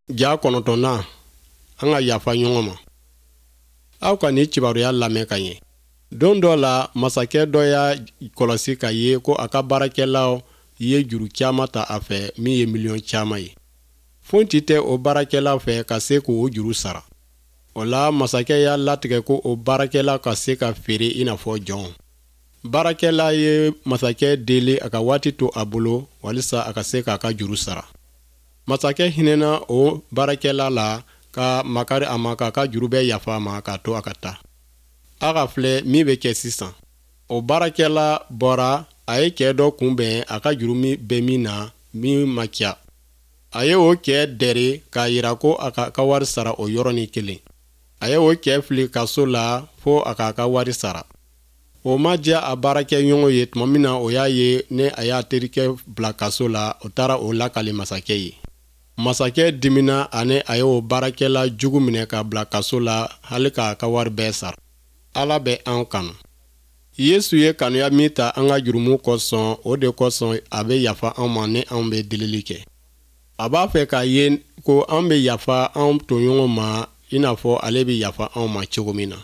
Ja kɔnɔntɔnnan, an ka yafa ɲɔgɔn ma. Aw ka nin kibaruya lamɛn ka ɲɛ. Don dɔ la, masakɛ dɔ y'a kɔlɔsi k'a ye ko a ka baarakɛlaw ye juru caman ta a fɛ min ye miliyɔn caman ye. Foyi tɛ o baarakɛlaw fɛ ka se k'o juru sara. O la, masakɛ y'a latigɛ ko o baarakɛla ka se ka feere i n'a fɔ jɔnw. Baarakɛla ye masakɛ deli a ka waati to a bolo walisa a ka se k'a ka juru sara. Masakɛ hinɛna o baarakɛla la ka makari a ma k'a ka juru bɛɛ yafa a ma k'a to a ka taa. A ka filɛ min bɛ kɛ sisan. O baarakɛla bɔra, a ye cɛ dɔ kunbɛn a ka juru min bɛ min na min man ca. A ye o cɛ dɛri k'a jira ko a k'a ka wari sara o yɔrɔnin kelen. A ye o cɛ fili kaso la fo a k'a ka wari sara. O ma diya a baarakɛɲɔgɔn ye tuma min na o y'a ye ni a y'a terikɛ bila kaso la, o taara o lakali masakɛ ye. Masakɛ dimina ani a ye o baarakɛla jugu minɛ k'a bila kaso la hali k'a ka wari bɛɛ sara. Ala bɛ an kanu. Yesu ye kanuya min ta an ka jurumu kosɔn, o de kosɔn a bɛ yafa an ma ni an bɛ delili kɛ. A b'a fɛ k'a ye ko an bɛ yafa an tɔɲɔgɔn ma i n'a fɔ ale bɛ yafa anw ma cogo min na.